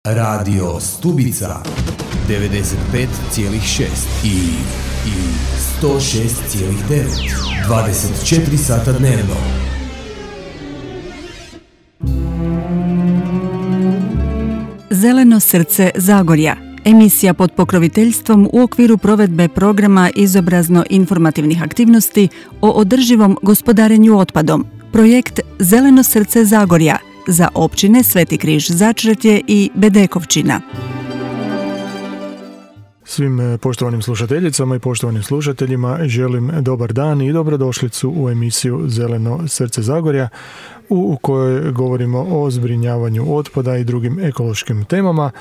Radio Stubica 95,6 i 106,9 24 sata dnevno. Zeleno srce Zagorja. Emisija pod pokroviteljstvom u okviru provedbe programa izobrazno-informativnih aktivnosti o održivom gospodarenju otpadom. Projekt Zeleno srce Zagorja za općine Sveti Križ Začretje i Bedekovčina. Svim poštovanim slušateljicama i poštovanim slušateljima želim dobar dan i dobrodošlicu u emisiju Zeleno srce Zagorja u kojoj govorimo o zbrinjavanju otpada i drugim ekološkim temama,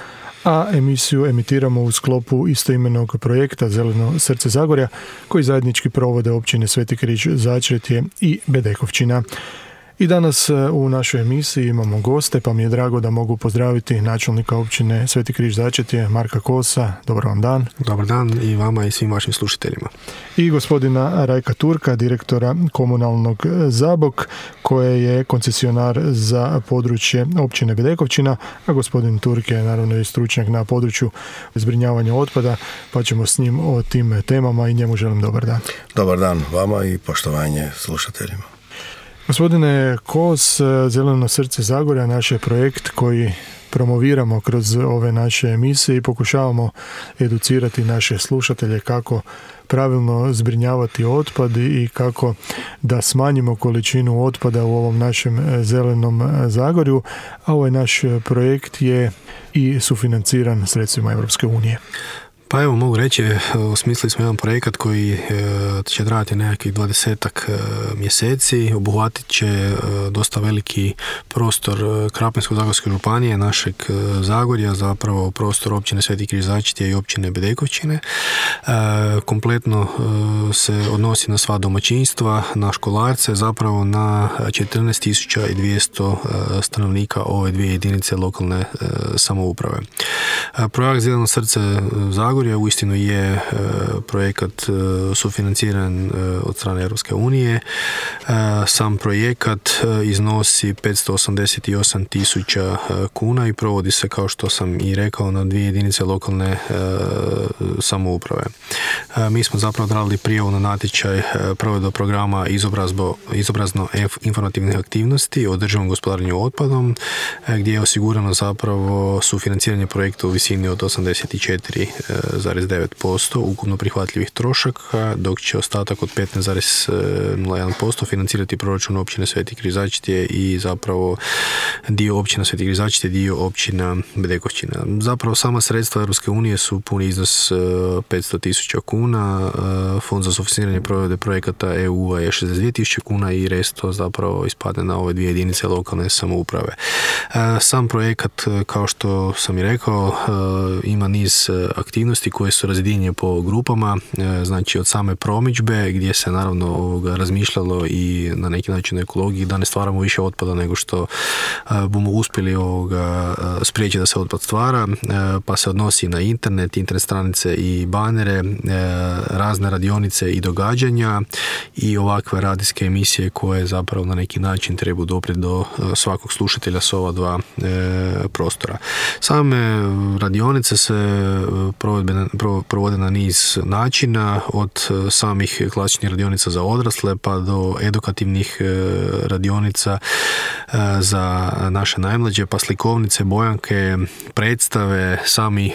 a emisiju emitiramo u sklopu istoimenog projekta Zeleno srce Zagorja koji zajednički provode općine Sveti Križ Začretje i Bedekovčina. I danas u našoj emisiji imamo goste, pa mi je drago da mogu pozdraviti načelnika općine Sveti Križ Začretje, Marka Kosa. Dobar vam dan. Dobar dan i vama i svim vašim slušateljima. I gospodina Rajka Turka, direktora komunalnog Zabok, koje je koncesionar za područje općine Bedekovčina, a gospodin Turk je naravno i stručnjak na području zbrinjavanja otpada, pa ćemo s njim o tim temama i njemu želim dobar dan. Dobar dan vama i poštovanje slušateljima. Gospodine Kos, Zeleno srce Zagorja naš je projekt koji promoviramo kroz ove naše emisije i pokušavamo educirati naše slušatelje kako pravilno zbrinjavati otpad i kako da smanjimo količinu otpada u ovom našem zelenom Zagorju, a ovaj naš projekt je i sufinanciran sredstvima Europske unije. Pa evo, mogu reći, osmislili smo jedan projekat koji će trajati nekakvih 20-ak mjeseci, obuhvatit će dosta veliki prostor Krapinsko-zagorske županije, našeg Zagorja, zapravo prostor općine Sveti Križ Začretje i općine Bedekovčine. Kompletno se odnosi na sva domaćinstva, na školarce, zapravo na 14.200 stanovnika ove dvije jedinice lokalne samouprave. Projekt Zeleno srce Zagorja uistinu je projekat sufinanciran od strane Europske unije. Sam projekat iznosi 588.000 kuna i provodi se, kao što sam i rekao, na dvije jedinice lokalne samouprave. Mi smo zapravo odradili prijavu na natječaj provedbe programa izobrazno-informativnih aktivnosti o održivom gospodarenju otpadom, gdje je osigurano zapravo sufinanciranje projekta u visini od 84,9% ukupno prihvatljivih trošaka, dok će ostatak od 15,01% financirati proračun općine Sveti Križ Začretje i zapravo dio općina Sveti Križ Začretje, dio općina Bedekovčina. Zapravo sama sredstva Europske unije su puni iznos 500.000 kuna, fond za sufinanciranje provedbe projekata EU-a je 62.000 kuna i resto zapravo ispadne na ove dvije jedinice lokalne samouprave. Sam projekat, kao što sam i rekao, ima niz aktivnosti koje su razdijeljene po grupama, znači od same promidžbe gdje se naravno razmišljalo i na neki način o ekologiji, da ne stvaramo više otpada nego što bomo uspjeli spriječiti da se otpad stvara, pa se odnosi na internet stranice i banere, razne radionice i događanja i ovakve radijske emisije koje zapravo na neki način trebaju doprijeti do svakog slušatelja s ova dva prostora. Same radionice se provode na niz načina, od samih klasičnih radionica za odrasle pa do edukativnih radionica za naše najmlađe, pa slikovnice, bojanke, predstave, sami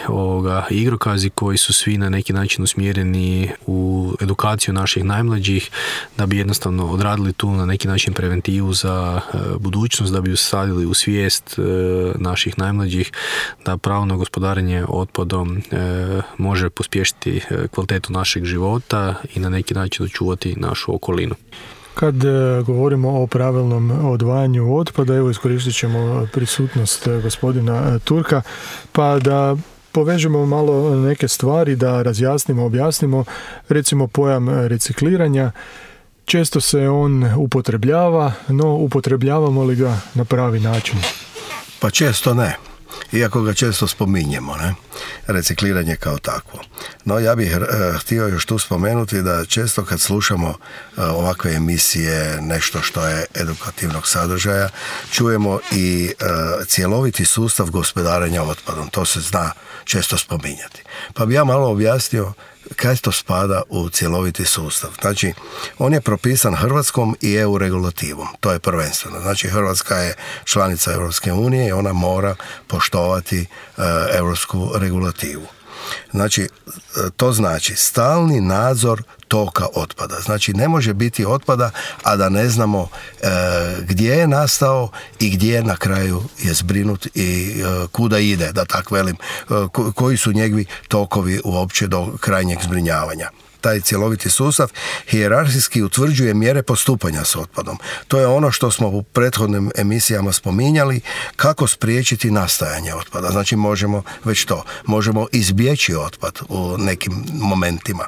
igrokazi koji su svi na neki način usmjereni u edukaciju naših najmlađih, da bi jednostavno odradili tu na neki način preventivu za budućnost, da bi usadili u svijest naših najmlađih da pravilno gospodarenje otpadom može pospješiti kvalitetu našeg života i na neki način očuvati našu okolinu. Kad govorimo o pravilnom odvajanju otpada, evo iskoristit ćemo prisutnost gospodina Turka, pa da povežemo malo neke stvari, da razjasnimo, objasnimo, recimo pojam recikliranja. Često se on upotrebljava, no upotrebljavamo li ga na pravi način? Pa često ne. iako ga često spominjemo, ne? Recikliranje kao takvo. No ja bih htio još tu spomenuti da često kad slušamo ovakve emisije, nešto što je edukativnog sadržaja, čujemo i cjeloviti sustav gospodarenja otpadom. To se zna često spominjati. Pa bi ja malo objasnio kaj to spada u cjeloviti sustav. Znači, on je propisan hrvatskom i EU regulativom. To je prvenstveno. Znači, Hrvatska je članica Europske unije i ona mora poštovati europsku regulativu. Znači, to znači stalni nadzor toka otpada. Znači, ne može biti otpada, a da ne znamo gdje je nastao i gdje na kraju je zbrinut i kuda ide, da tak velim, koji su njegovi tokovi uopće do krajnjeg zbrinjavanja. Taj cjeloviti sustav hijerarhijski utvrđuje mjere postupanja s otpadom. To je ono što smo u prethodnim emisijama spominjali, kako spriječiti nastajanje otpada. Znači možemo izbjeći otpad u nekim momentima.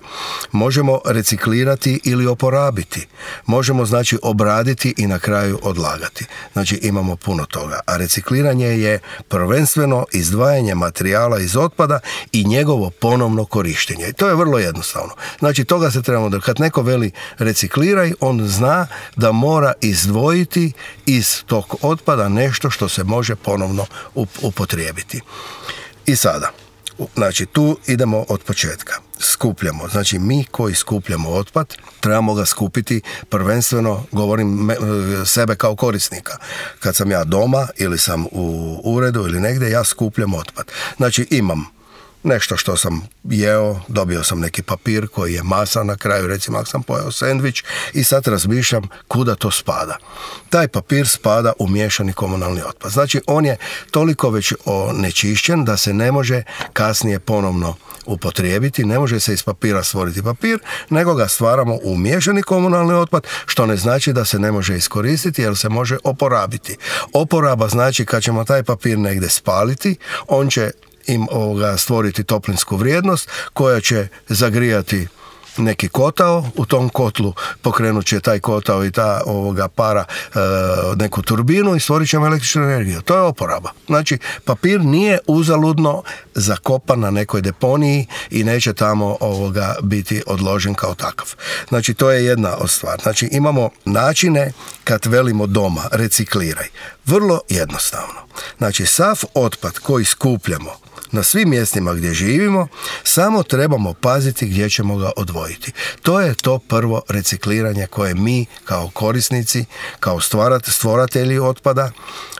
Možemo reciklirati ili oporabiti. Možemo znači obraditi i na kraju odlagati. Znači imamo puno toga. A recikliranje je prvenstveno izdvajanje materijala iz otpada i njegovo ponovno korištenje. I to je vrlo jednostavno. Znači, toga se trebamo da kad neko veli recikliraj, on zna da mora izdvojiti iz tog otpada nešto što se može ponovno upotrijebiti. I sada, znači, tu idemo od početka. Skupljamo. Znači, mi koji skupljamo otpad, trebamo ga skupiti prvenstveno, govorim sebe kao korisnika. Kad sam ja doma ili sam u uredu ili negdje, ja skupljam otpad. Znači, imam nešto što sam jeo, dobio sam neki papir koji je masa na kraju, recimo ako sam pojeo sendvič i sad razmišljam kuda to spada. Taj papir spada u miješani komunalni otpad. Znači on je toliko već onečišćen da se ne može kasnije ponovno upotrijebiti, ne može se iz papira stvoriti papir, nego ga stvaramo u miješani komunalni otpad, što ne znači da se ne može iskoristiti jer se može oporabiti. Oporaba znači kad ćemo taj papir negdje spaliti, on će stvoriti toplinsku vrijednost koja će zagrijati neki kotao, u tom kotlu pokrenut će taj kotao i ta para neku turbinu i stvorit ćemo električnu energiju. To je oporaba. Znači, papir nije uzaludno zakopan na nekoj deponiji i neće tamo biti odložen kao takav. Znači, to je jedna od stvari. Znači, imamo načine kad velimo doma, recikliraj. Vrlo jednostavno. Znači, sav otpad koji skupljamo na svim mjestima gdje živimo, samo trebamo paziti gdje ćemo ga odvojiti. To je to prvo recikliranje koje mi kao korisnici, kao stvoratelji otpada,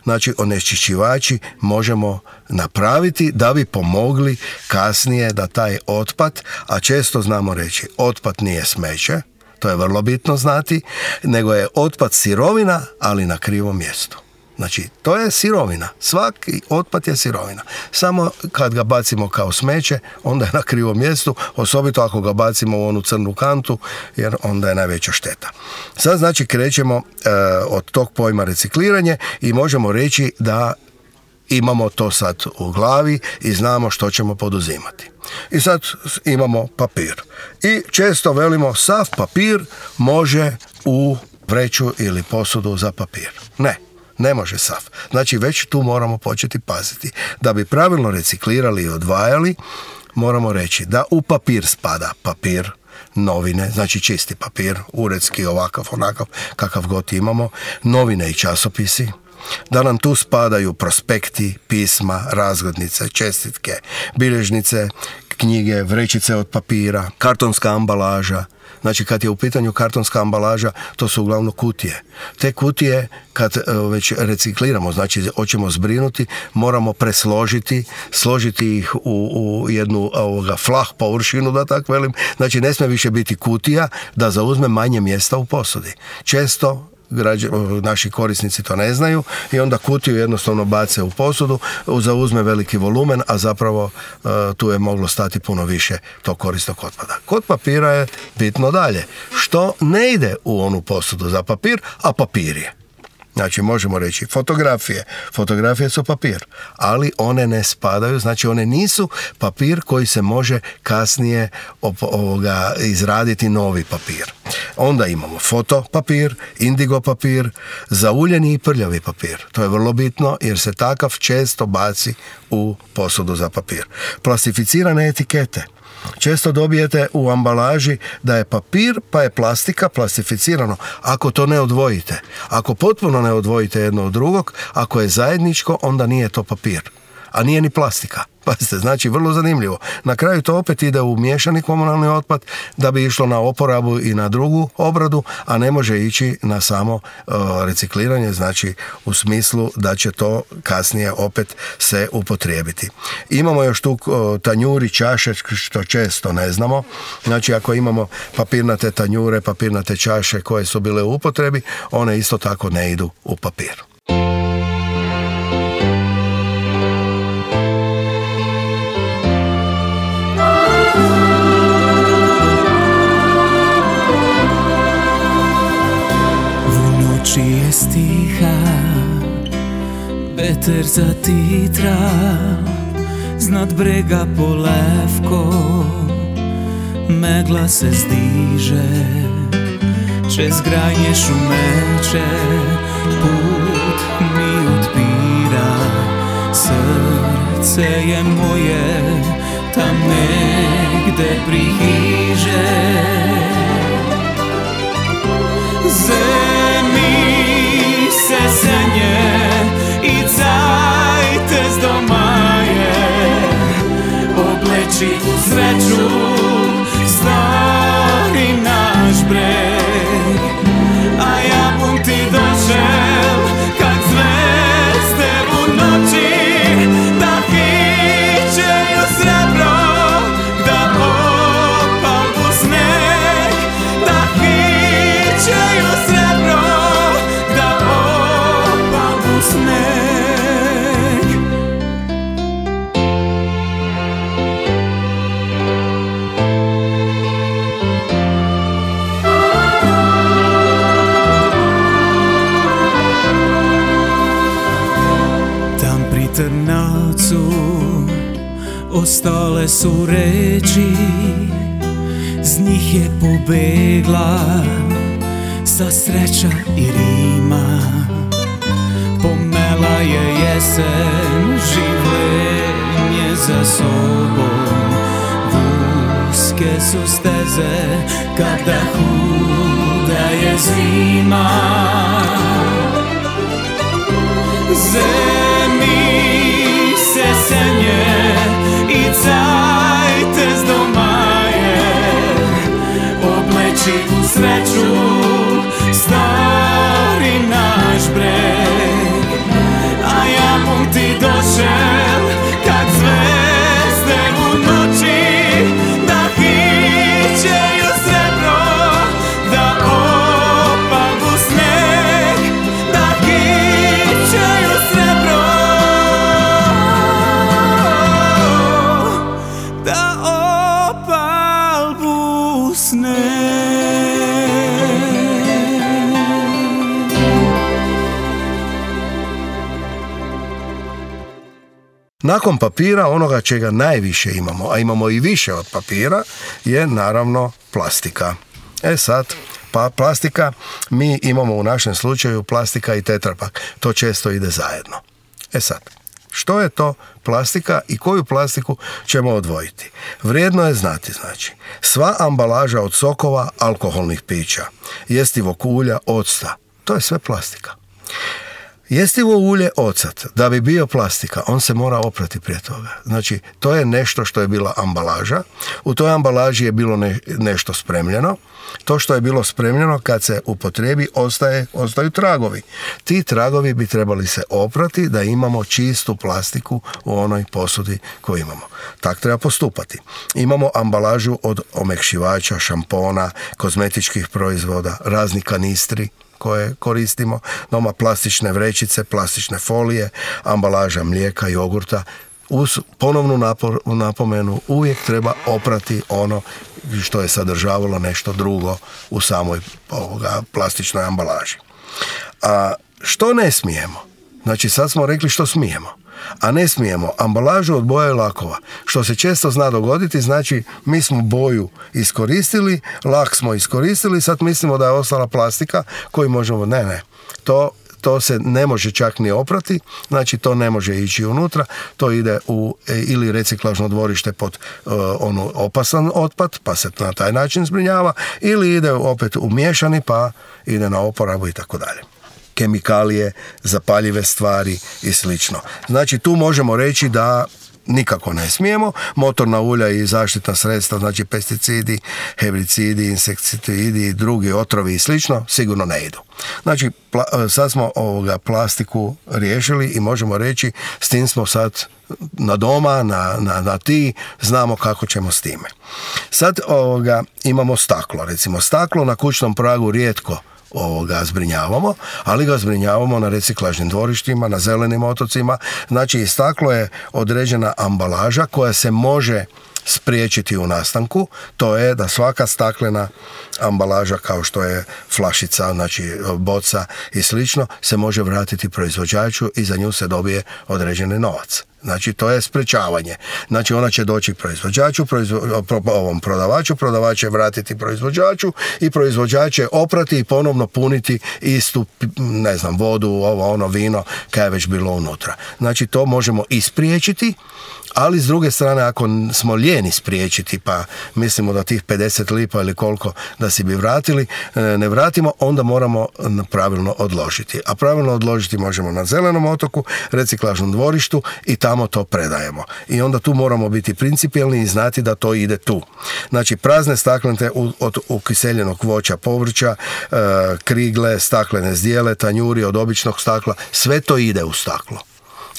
znači onečišćivači, možemo napraviti da bi pomogli kasnije da taj otpad, a često znamo reći, otpad nije smeće, to je vrlo bitno znati, nego je otpad sirovina, ali na krivom mjestu. Znači, to je sirovina. Svaki otpad je sirovina. Samo kad ga bacimo kao smeće, onda je na krivom mjestu, osobito ako ga bacimo u onu crnu kantu, jer onda je najveća šteta. Sad, znači, krećemo od tog pojma recikliranje i možemo reći da imamo to sad u glavi i znamo što ćemo poduzimati. I sad imamo papir. I često velimo, sav papir može u vreću ili posudu za papir. Ne može sav. Znači već tu moramo početi paziti. Da bi pravilno reciklirali i odvajali, moramo reći da u papir spada papir, novine, znači čisti papir, uredski, ovakav, onakav, kakav god imamo, novine i časopisi, da nam tu spadaju prospekti, pisma, razglednice, čestitke, bilježnice, knjige, vrećice od papira, kartonska ambalaža. Znači, kad je u pitanju kartonska ambalaža, to su uglavnom kutije. Te kutije, kad već recikliramo, znači hoćemo zbrinuti, moramo presložiti, složiti ih u jednu flah površinu, da tako velim. Znači, ne smije više biti kutija da zauzme manje mjesta u posudi. Često naši korisnici to ne znaju i onda kutiju jednostavno bace u posudu, zauzme veliki volumen, a zapravo tu je moglo stati puno više tog korisnog otpada. Kod papira je bitno dalje. Što ne ide u onu posudu za papir, a papir je. Znači možemo reći fotografije su papir, ali one ne spadaju, znači one nisu papir koji se može kasnije izraditi novi papir. Onda imamo fotopapir, indigo papir, zauljeni i prljavi papir. To je vrlo bitno jer se takav često baci u posudu za papir. Plastificirane etikete. Često dobijete u ambalaži da je papir pa je plastika, plastificirano. Ako to ne odvojite, ako potpuno ne odvojite jedno od drugog, ako je zajedničko, onda nije to papir, a nije ni plastika. Pazite, znači vrlo zanimljivo. Na kraju to opet ide u miješani komunalni otpad da bi išlo na oporabu i na drugu obradu, a ne može ići na samo recikliranje, znači u smislu da će to kasnije opet se upotrijebiti. Imamo još tu tanjuri, čaše, što često ne znamo. Znači ako imamo papirnate tanjure, papirnate čaše koje su bile u upotrebi, one isto tako ne idu u papir. Noći je stiha, veter zatitra, znad brega polevko, megla se zdiže, čez grajnje šumeče, put mi otpira, srce je moje tam negde prihiže. Zemi se senje i cajte z domaje, obleči u sreću stari naš breg, a ja bum ti došel kak zvezde u noći, da hićeju srebro, da opalbu sneg, da hićeju srebro, da opalbu sneg. Tam pri Trnavcu ostale su reči, z njih je pobegla sa sreća i rima. Pomela je jesen, življenje za sobom, uske su steze kada huda je zima. Zemi se senje i cajte z domaje, obleči u sreću stari naš breg, a ja bum ti došel kak zvezde u noći, da hićeju srebro, da opalbu sneg, da hićeju srebro, da opalbu sneg. Nakon papira, onoga čega najviše imamo, a imamo i više od papira, je naravno plastika. Sad, pa plastika, mi imamo u našem slučaju plastika i tetrapak. To često ide zajedno. Sad, što je to plastika i koju plastiku ćemo odvojiti? Vrijedno je znati, znači, sva ambalaža od sokova, alkoholnih pića, jestivog ulja, octa, to je sve plastika. Jestivo ulje ocat, da bi bio plastika, on se mora oprati prije toga. Znači, to je nešto što je bila ambalaža. U toj ambalaži je bilo nešto spremljeno. To što je bilo spremljeno, kad se upotrebi, ostaju tragovi. Ti tragovi bi trebali se oprati da imamo čistu plastiku u onoj posudi koju imamo. Tak treba postupati. Imamo ambalažu od omekšivača, šampona, kozmetičkih proizvoda, razni kanistri koje koristimo, doma plastične vrećice, plastične folije, ambalaža mlijeka, jogurta. Uz ponovnu napomenu, uvijek treba oprati ono što je sadržavalo nešto drugo u samoj plastičnoj ambalaži. A što ne smijemo? Znači sad smo rekli što smijemo, a ne smijemo ambalažu od boja i lakova, što se često zna dogoditi. Znači mi smo boju iskoristili, lak smo iskoristili, sad mislimo da je ostala plastika koju možemo, ne, to se ne može čak ni oprati, znači to ne može ići unutra, to ide u ili reciklažno dvorište pod opasan otpad, pa se na taj način zbrinjava, ili ide opet u miješani, pa ide na oporabu i tako dalje. Kemikalije, zapaljive stvari i slično. Znači tu možemo reći da nikako ne smijemo. Motorna ulja i zaštitna sredstva, znači pesticidi, herbicidi, insekticidi i drugi otrovi i slično, sigurno ne idu. Znači sad smo plastiku riješili i možemo reći s tim smo sad na doma, na ti, znamo kako ćemo s time. Sad imamo staklo. Recimo staklo na kućnom pragu rijetko zbrinjavamo, ali ga zbrinjavamo na reciklažnim dvorištima, na zelenim otocima. Znači staklo je određena ambalaža koja se može spriječiti u nastanku, to je da svaka staklena ambalaža kao što je flašica, znači boca i slično, se može vratiti proizvođaču i za nju se dobije određeni novac. Znači to je sprečavanje. Znači ona će doći proizvođaču, prodavač će vratiti proizvođaču i proizvođač će oprati i ponovno puniti istu, vodu, vino kaj je već bilo unutra. Znači to možemo ispriječiti, ali s druge strane ako smo lijeni spriječiti pa mislimo da tih 50 lipa ili koliko da si bi vratili, ne vratimo, onda moramo pravilno odložiti. A pravilno odložiti možemo na zelenom otoku, reciklažnom dvorištu i tamo to predajemo. I onda tu moramo biti principijelni i znati da to ide tu. Znači prazne staklenice od ukiseljenog voća, povrća, krigle, staklene zdjele, tanjuri od običnog stakla, sve to ide u staklo.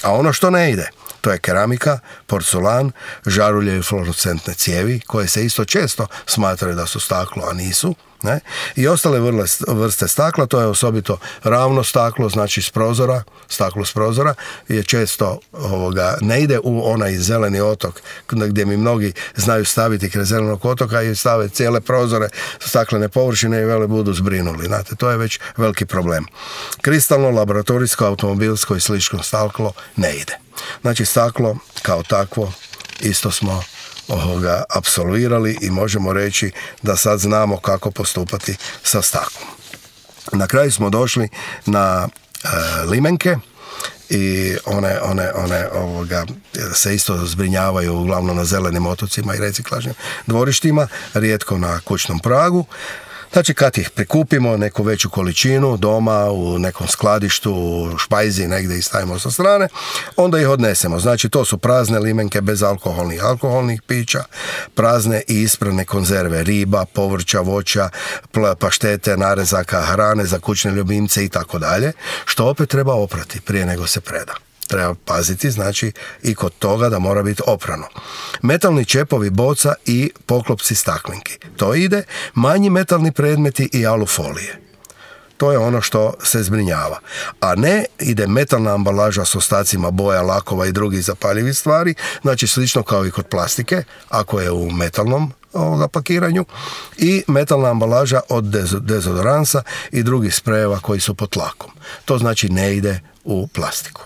A ono što ne ide, to je keramika, porculan, žarulje i fluorescentne cijevi, koje se isto često smatraju da su staklo, a nisu. Ne? I ostale vrste stakla, to je osobito ravno staklo, znači staklo s prozora, je često ne ide u onaj zeleni otok, gdje mi mnogi znaju staviti kraj zelenog otoka i stave cijele prozore, staklene površine i vele budu zbrinuli. Znate, to je već veliki problem. Kristalno, laboratorijsko, automobilsko i slično staklo ne ide. Znači staklo kao takvo isto smo apsolvirali i možemo reći da sad znamo kako postupati sa staklom. Na kraju smo došli na limenke i one se isto zbrinjavaju uglavnom na zelenim otocima i reciklažnim dvorištima, rijetko na kućnom pragu. Znači kad ih prikupimo neku veću količinu doma u nekom skladištu, u špajzi negdje i stavimo sa strane, onda ih odnesemo. Znači to su prazne limenke bez alkoholnih pića, prazne i ispravne konzerve, riba, povrća, voća, paštete, narezaka, hrane za kućne ljubimce i tako dalje, što opet treba oprati prije nego se preda. Treba paziti, znači, i kod toga da mora biti oprano. Metalni čepovi boca i poklopci staklenki. To ide, manji metalni predmeti i alufolije. To je ono što se zbrinjava. A ne ide metalna ambalaža s ostacima boja, lakova i drugih zapaljivih stvari, znači slično kao i kod plastike, ako je u metalnom pakiranju, i metalna ambalaža od dezodoransa i drugih sprejeva koji su pod tlakom. To znači ne ide u plastiku.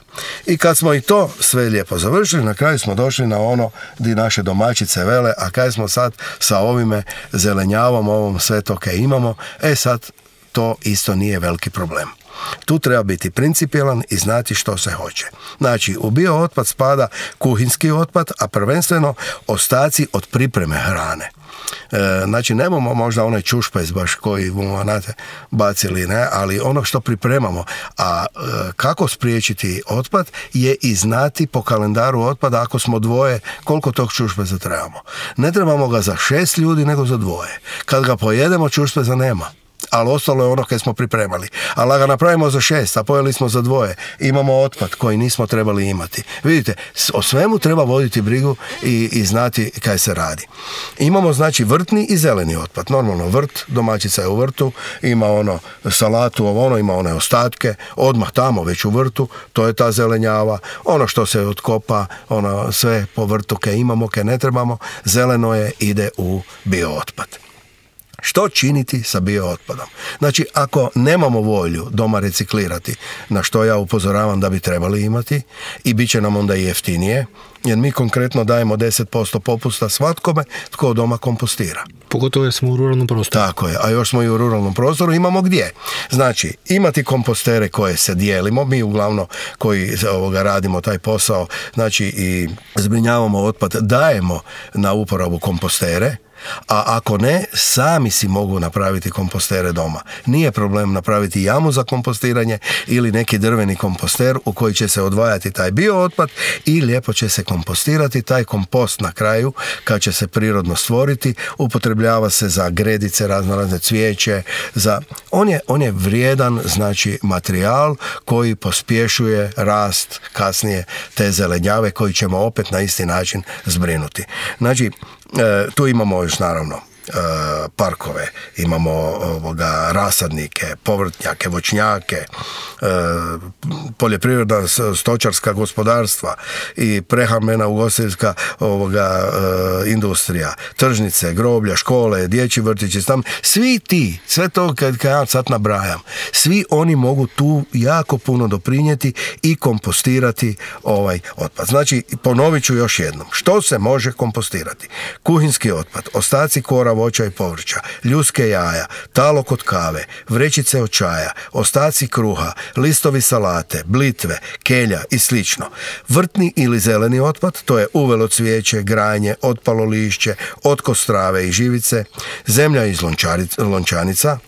I kad smo i to sve lijepo završili, na kraju smo došli na ono gdje naše domaćice vele, a kaj smo sad sa ovime zelenjavom, ovom sve to kaj imamo, sad to isto nije veliki problem. Tu treba biti principijelan i znati što se hoće. Znači, u biootpad spada kuhinski otpad, a prvenstveno ostaci od pripreme hrane. Znači, nemamo možda onaj čušpajz baš koji bomo bacili, ne, ali ono što pripremamo. A kako spriječiti otpad je i znati po kalendaru otpada, ako smo dvoje, koliko tog čušpajza trebamo. Ne trebamo ga za 6 ljudi, nego za 2. Kad ga pojedemo, čušpajza nema. Ali ostalo je ono kaj smo pripremali. Ali ga napravimo za 6, a pojeli smo za 2. Imamo otpad koji nismo trebali imati. Vidite, o svemu treba voditi brigu i znati kaj se radi. Imamo znači vrtni i zeleni otpad. Normalno vrt, domaćica je u vrtu, ima salatu, ima one ostatke, odmah tamo već u vrtu, to je ta zelenjava. Ono što se otkopa, sve po vrtu kaj imamo, kaj ne trebamo, zeleno ide u biootpad. Što činiti sa biootpadom? Znači, ako nemamo volju doma reciklirati, na što ja upozoravam da bi trebali imati, i bit će nam onda i jeftinije, jer mi konkretno dajemo 10% popusta svatkome tko doma kompostira. Pogotovo jer smo u ruralnom prostoru. Tako je, a još smo i u ruralnom prostoru, imamo gdje. Znači, imati kompostere koje se dijelimo, mi uglavnom koji radimo taj posao, znači i zbrinjavamo otpad, dajemo na uporabu kompostere, a ako ne, sami si mogu napraviti kompostere doma. Nije problem napraviti jamu za kompostiranje ili neki drveni komposter u koji će se odvajati taj biootpad i lijepo će se kompostirati. Taj kompost na kraju, kad će se prirodno stvoriti, upotrebljava se za gredice, razne cvijeće, on je vrijedan, znači, materijal koji pospješuje rast kasnije te zelenjave koji ćemo opet na isti način zbrinuti. Znači, tu imamo još naravno parkove, imamo rasadnike, povrtnjake, voćnjake, poljoprivredna stočarska gospodarstva i prehrambena ugostiteljska industrija, tržnice, groblja, škole, dječji vrtići, sve to kad ja sad nabrajam, svi oni mogu tu jako puno doprinijeti i kompostirati ovaj otpad. Znači, ponovit ću još jednom, što se može kompostirati? Kuhinski otpad, ostaci kora, voća i povrća, ljuske jaja, talog od kave, vrećice od čaja, ostaci kruha, listovi salate, blitve, kelja i slično. Vrtni ili zeleni otpad, to je uvelo cvijeće, granje, otpalo lišće, otkos trave i živice, zemlja iz lončanica,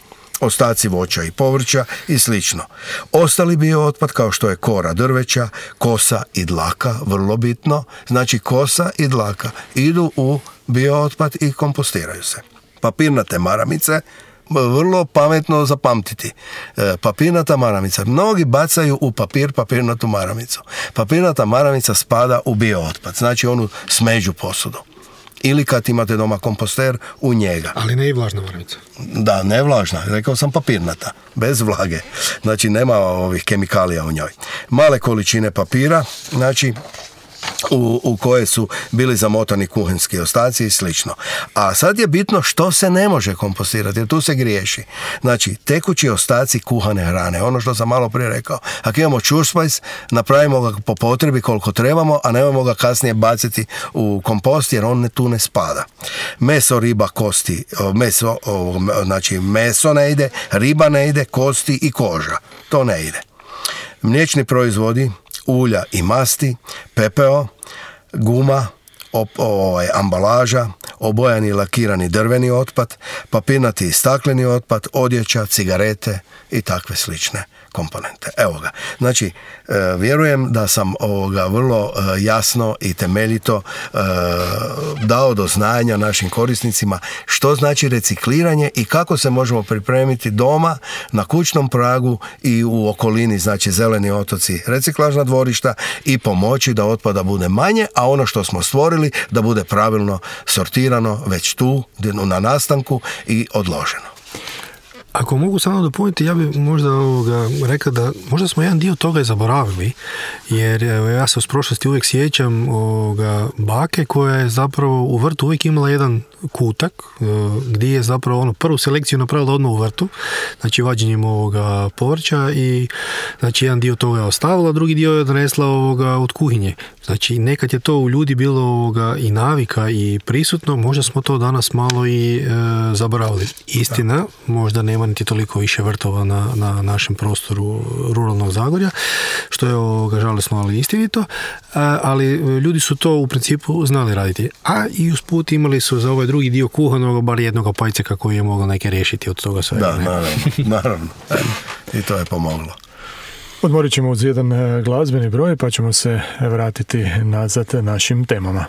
ostaci voća i povrća i slično. Ostali biootpad kao što je kora drveća, kosa i dlaka, vrlo bitno, znači kosa i dlaka idu u biootpad i kompostiraju se. Papirnate maramice, vrlo pametno zapamtiti. Papirnata maramica. Mnogi bacaju u papirnatu maramicu. Papirnata maramica spada u biootpad, znači onu smeđu posudu. Ili kad imate doma komposter, u njega. Ali ne i vlažna maramica. Da, ne vlažna, rekao sam papirnata, bez vlage. Znači nema ovih kemikalija u njoj. Male količine papira, znači u koje su bili zamotani kuhinski ostaci i slično. A sad je bitno što se ne može kompostirati, jer tu se griješi. Znači, tekući ostaci kuhane hrane, ono što sam malo prije rekao. Ako imamo čurspajs, napravimo ga po potrebi koliko trebamo, a nemojmo ga kasnije baciti u kompost, jer on tu ne spada. Meso, riba, kosti, znači meso ne ide, riba ne ide, kosti i koža. To ne ide. Mliječni proizvodi, ulja i masti, pepeo, guma, ambalaža, obojani i lakirani drveni otpad, papirnati i stakleni otpad, odjeća, cigarete i takve slične komponente. Evo ga. Znači, vjerujem da sam vrlo jasno i temeljito dao do znanja našim korisnicima što znači recikliranje i kako se možemo pripremiti doma, na kućnom pragu i u okolini, znači zeleni otoci, reciklažna dvorišta, i pomoći da otpada bude manje, a ono što smo stvorili da bude pravilno sortirano već tu na nastanku i odloženo. Ako mogu samo dopuniti, ja bih možda rekao da možda smo jedan dio toga i zaboravili, jer ja se uz prošlosti uvijek sjećam bake koja je zapravo u vrtu uvijek imala jedan kutak gdje je zapravo prvu selekciju napravila odmah u vrtu, znači vađenjem povrća, i znači jedan dio toga je ostavila, drugi dio je odnesla od kuhinje. Znači nekad je to u ljudi bilo i navika i prisutno, možda smo to danas malo i zaboravili. Istina, možda nema niti toliko više vrtova na našem prostoru ruralnog Zagorja, što je žalosno, ali istinito, ali ljudi su to u principu znali raditi. A i usput imali su za ovaj drugi dio kuhanog bar jednog pajceka koji je mogao neke riješiti od toga svega. Da, naravno. I to je pomoglo. Odmorit ćemo uz jedan glazbeni broj pa ćemo se vratiti nazad našim temama.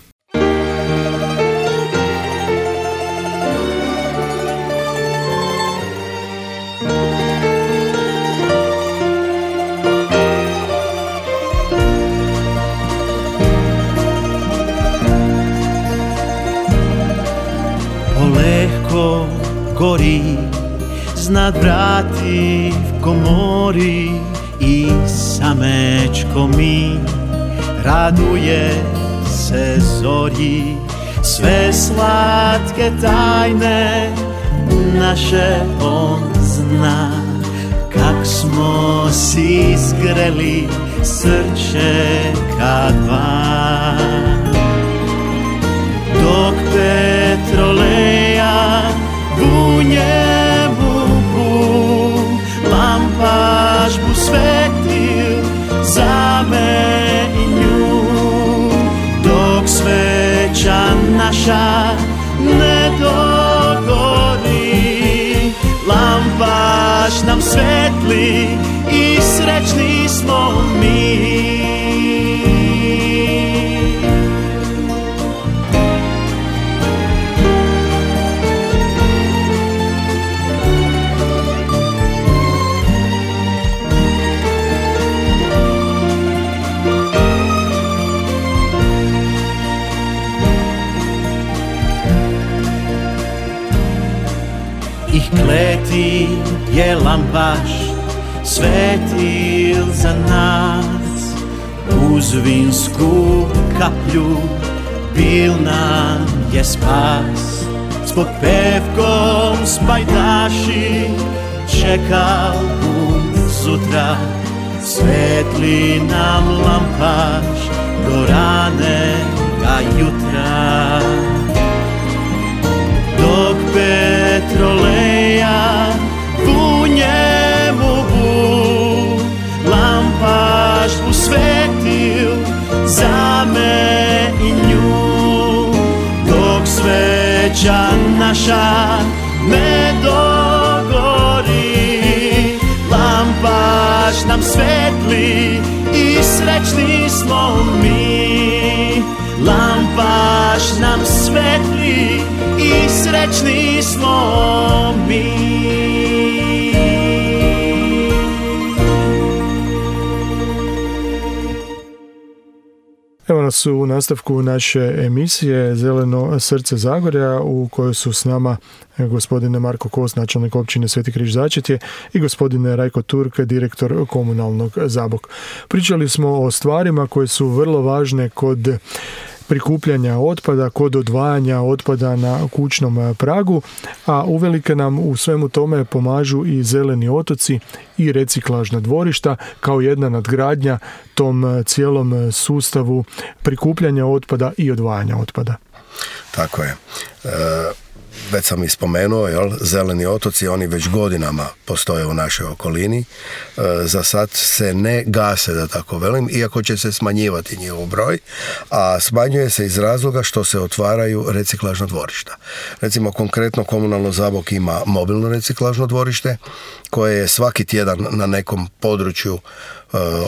Polehko gori znad vrati v komori i samečko mi raduje se zorji, sve slatke tajne naše on zna, kak smo si zgreli srce ka dva. Dok petroleja u njemu bu, lampaš bu svetil za me i nju. Dok sveća naša ne dogori, lampaš nam svetli i srećni smo mi. Kleti je lampaš svetil za nas, uz vinsku kaplju bil nam je spas. S popevkom spajdaši čekal bum sutra, svetli nam lampaš do ranega jutra. Dok petroleja u njemu bu, lampaš bu svetil za me i nju. Dok sveća naša ne dogori, lampaš nam svetli i srećni smo mi. Lampaš nam svetli i srećni smo mi. Evo nas u nastavku naše emisije Zeleno srce Zagorja, u kojoj su s nama gospodin Marko Kos, načelnik općine Sveti Križ Začetje, i gospodin Rajko Turk, direktor komunalnog Zabok. Pričali smo o stvarima koje su vrlo važne kod prikupljanja otpada, kod odvajanja otpada na kućnom pragu, a uvelike nam u svemu tome pomažu i zeleni otoci i reciklažna dvorišta kao jedna nadgradnja tom cijelom sustavu prikupljanja otpada i odvajanja otpada. Tako je. Već sam ih spomenuo, zeleni otoci, oni već godinama postoje u našoj okolini. Za sad se ne gase, da tako velim, iako će se smanjivati njihov broj, a smanjuje se iz razloga što se otvaraju reciklažna dvorišta. Recimo, konkretno Komunalno Zabok ima mobilno reciklažno dvorište koje je svaki tjedan na nekom području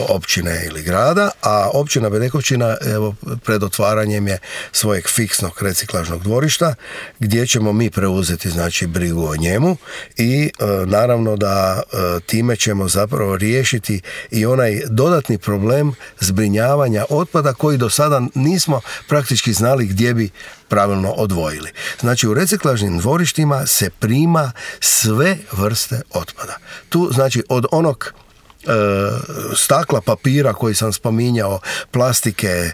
općine ili grada, a općina Bedekovčina evo pred otvaranjem je svojeg fiksnog reciklažnog dvorišta gdje ćemo mi preuzeti znači brigu o njemu i naravno da time ćemo zapravo riješiti i onaj dodatni problem zbrinjavanja otpada koji do sada nismo praktički znali gdje bi pravilno odvojili. Znači u reciklažnim dvorištima se prima sve vrste otpada. Tu znači od onog stakla, papira koji sam spominjao, plastike,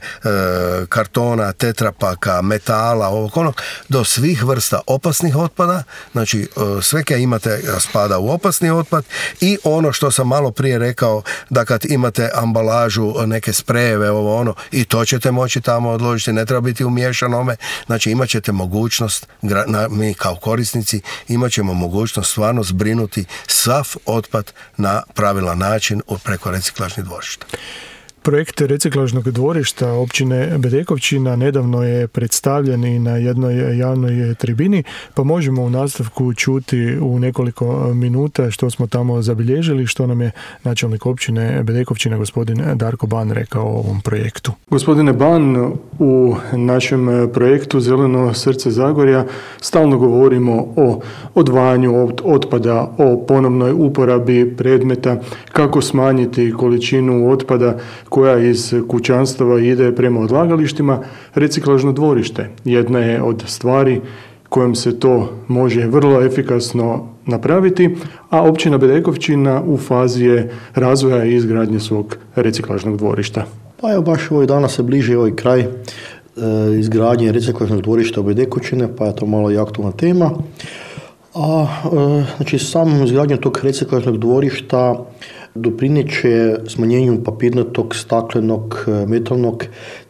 kartona, tetrapaka, metala, ovog onog, do svih vrsta opasnih otpada, znači sve kaj imate spada u opasni otpad i ono što sam malo prije rekao da kad imate ambalažu, neke sprejeve, ovo ono, i to ćete moći tamo odložiti, ne treba biti umiješanome, znači imat ćete mogućnost, mi kao korisnici imat ćemo mogućnost stvarno zbrinuti sav otpad na pravilan način preko reciklažnih dvorišta. Projekt reciklažnog dvorišta općine Bedekovčina nedavno je predstavljen i na jednoj javnoj tribini, pa možemo u nastavku čuti u nekoliko minuta što smo tamo zabilježili, što nam je načelnik općine Bedekovčina gospodin Darko Ban rekao o ovom projektu. Gospodine Ban, u našem projektu Zeleno srce Zagorja stalno govorimo o odvajanju otpada, o ponovnoj uporabi predmeta, kako smanjiti količinu otpada koja iz kućanstava ide prema odlagalištima. Reciklažno dvorište jedna je od stvari kojom se to može vrlo efikasno napraviti, a općina Bedekovčina u fazi je razvoja i izgradnje svog reciklažnog dvorišta. Pa evo, baš ovih dana se bliži ovaj kraj izgradnje reciklažnog dvorišta u Bedekovčine, pa je to malo i aktualna tema. Znači, samom izgradnjom tog reciklažnog dvorišta doprineće smanjenju papirnatog, staklenog, metalnog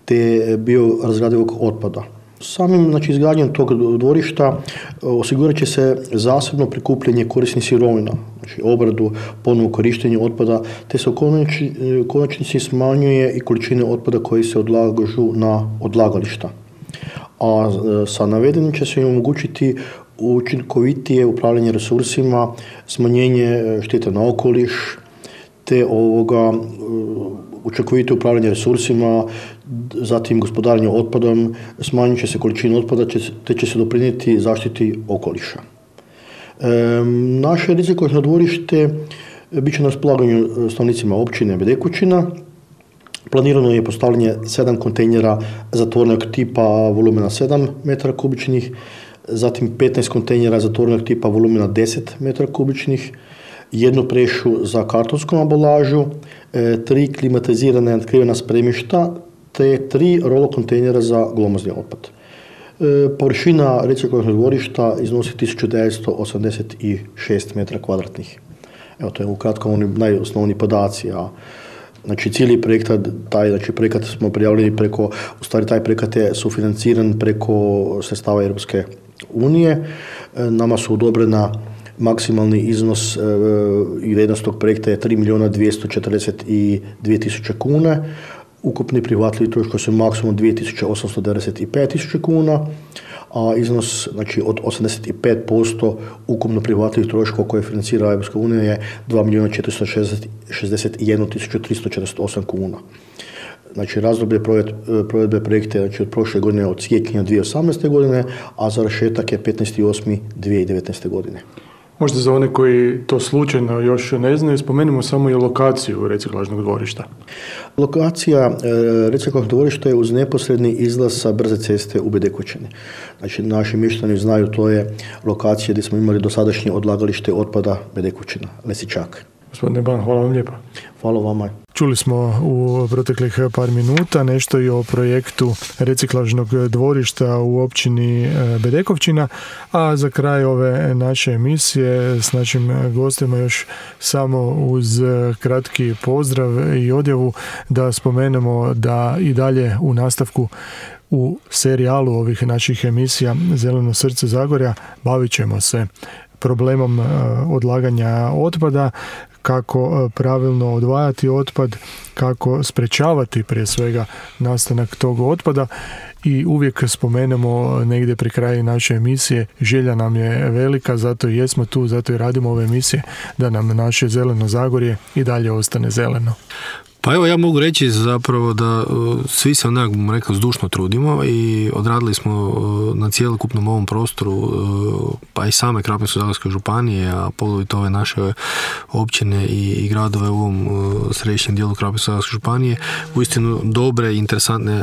te biorazgradivog otpada. Samim izgradnjom tog dvorišta osigurat će se zasebno prikupljanje korisnih sirovina, znači obradu, ponovno korištenje otpada, te se u konačnici smanjuje i količine otpada koji se odlažu na odlagališta. A sa navedenim će se omogućiti učinkovitije upravljanje resursima, smanjenje štete na okoliš, te učinkovitije upravljanje resursima, zatim gospodarenje otpadom, smanjit će se količina otpada, te će se doprinijeti zaštiti okoliša. Naše reciklažno dvorište bit će na raspolaganju stanovnicima općine Bedekućina. Planirano je postavljanje 7 kontejnera zatvorenog tipa volumena 7 metara kubičnih, zatim 15 kontejnera zatvorenog tipa volumena 10 metara kubičnih, jednu prešu za kartonsku ambalažu, 3 klimatizirane natkrivena spremišta, te 3 rolo kontejnera za glomazni otpad. Površina reciklažnog dvorišta iznosi 1986 metara kvadratnih. Evo, to je ukratko oni najosnovniji podaci, a cijeli projekat, projekat smo prijavili taj projekat je sufinanciran preko sredstava Europske unije. Nama su odobrena maksimalni iznos i vrijednost tog projekta je 3.242.000 kuna. Ukupni prihvatljivi troškovi su maksimum 2.895.000 kuna, a iznos od 85% ukupno prihvatljivih troškova koje financira Europska unija je 2.461.348 kuna. Razdoblje provedbe projekta je od prošle godine od siječnja 2018. godine, a završetak je 15.8.2019. godine. Možda za one koji to slučajno još ne znaju, spomenimo samo i lokaciju reciklažnog dvorišta. Lokacija reciklažnog dvorišta je uz neposredni izlaz sa brze ceste u Bedekućini. Naši mještani znaju, to je lokacija gdje smo imali dosadašnje odlagalište otpada Bedekućina, Lesičak. Gospodine Ban, hvala vam lijepa. Hvala vama. Čuli smo u proteklih par minuta nešto i o projektu reciklažnog dvorišta u općini Bedekovčina, a za kraj ove naše emisije s našim gostima još samo uz kratki pozdrav i odjavu da spomenemo da i dalje u nastavku u serijalu ovih naših emisija Zeleno srce Zagorja bavit ćemo se problemom odlaganja otpada, kako pravilno odvajati otpad, kako sprečavati prije svega nastanak tog otpada i uvijek spomenemo negdje pri kraju naše emisije, želja nam je velika, zato i jesmo tu, zato i radimo ove emisije, da nam naše zeleno Zagorje i dalje ostane zeleno. Pa evo, ja mogu reći zapravo da svi se onak, bom rekao, zdušno trudimo i odradili smo na cjelokupnom ovom prostoru, pa i same Krapinsko-zagorske županije, a poglavito ove naše općine i gradove u ovom središnjem dijelu Krapinsko-zagorske županije, uistinu dobre i interesantne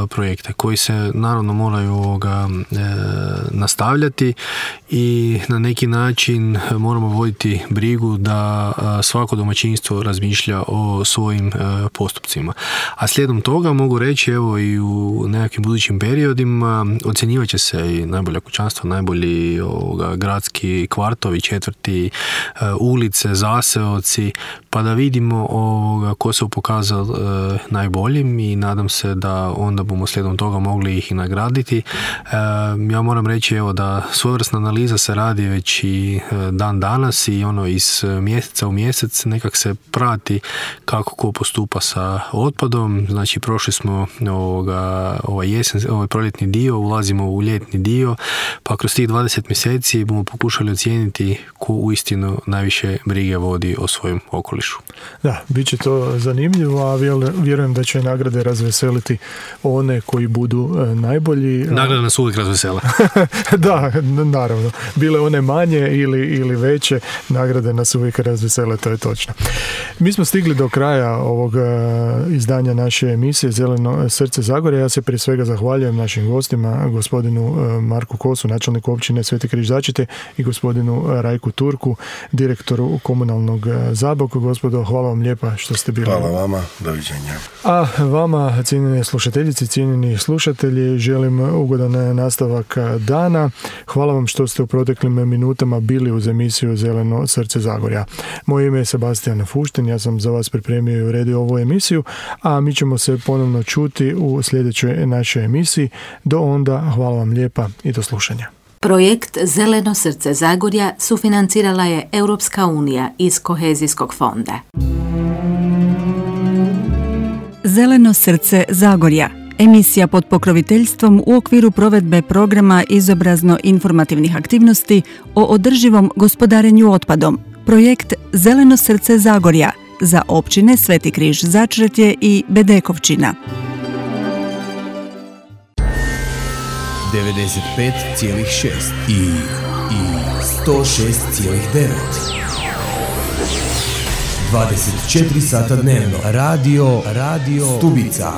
projekte koji se naravno moraju nastavljati i na neki način moramo voditi brigu da svako domaćinstvo razmišlja o svojim postupcima. A slijedom toga mogu reći, evo, i u nekakvim budućim periodima ocjenjivat će se i najbolja kućanstva, najbolji gradski kvartovi, četvrti, ulice, zaseoci, pa da vidimo ko se pokazao najboljim i nadam se da onda bomo slijedom toga mogli ih i nagraditi. Ja moram reći, evo, da svojevrsna analiza se radi već i dan danas i iz mjeseca u mjesec nekak se prati kako ko postupa sa otpadom. Znači, prošli smo ovaj proljetni dio, ulazimo u ljetni dio, pa kroz tih 20 mjeseci bomo pokušali ocijeniti ko uistinu najviše brige vodi o svojem okolišu. Da, bit će to zanimljivo, a vjerujem da će nagrade razveseliti one koji budu najbolji. Nagrade nas uvijek razvesele. Da, naravno. Bile one manje ili veće, nagrade nas uvijek razvesele, to je točno. Mi smo stigli do kraja ovog izdanja naše emisije Zeleno srce Zagorja. Ja se prije svega zahvaljujem našim gostima, gospodinu Marku Kosu, načelniku općine Sveti Križ Začretje, i gospodinu Rajku Turku, direktoru komunalnog Zabok. Gospodo, hvala vam lijepa što ste bili. Hvala vama, doviđenja. A vama, cijenjene slušateljice, cijenjeni slušatelji, želim ugodan nastavak dana. Hvala vam što ste u proteklim minutama bili uz emisiju Zeleno srce Zagorja. Moje ime je Sebastian Fuštin, ja sam za vas pripremio i uredio ovu emisiju, a mi ćemo se ponovno čuti u sljedećoj našoj emisiji. Do onda, hvala vam lijepa i do slušanja. Projekt Zeleno srce Zagorja sufinancirala je Europska unija iz Kohezijskog fonda. Zeleno srce Zagorja. Emisija pod pokroviteljstvom u okviru provedbe programa izobrazno-informativnih aktivnosti o održivom gospodarenju otpadom. Projekt Zeleno srce Zagorja za općine Sveti Križ Začretje i Bedekovčina. 95,6 i 106,9. 24 sata dnevno. Radio Stubica.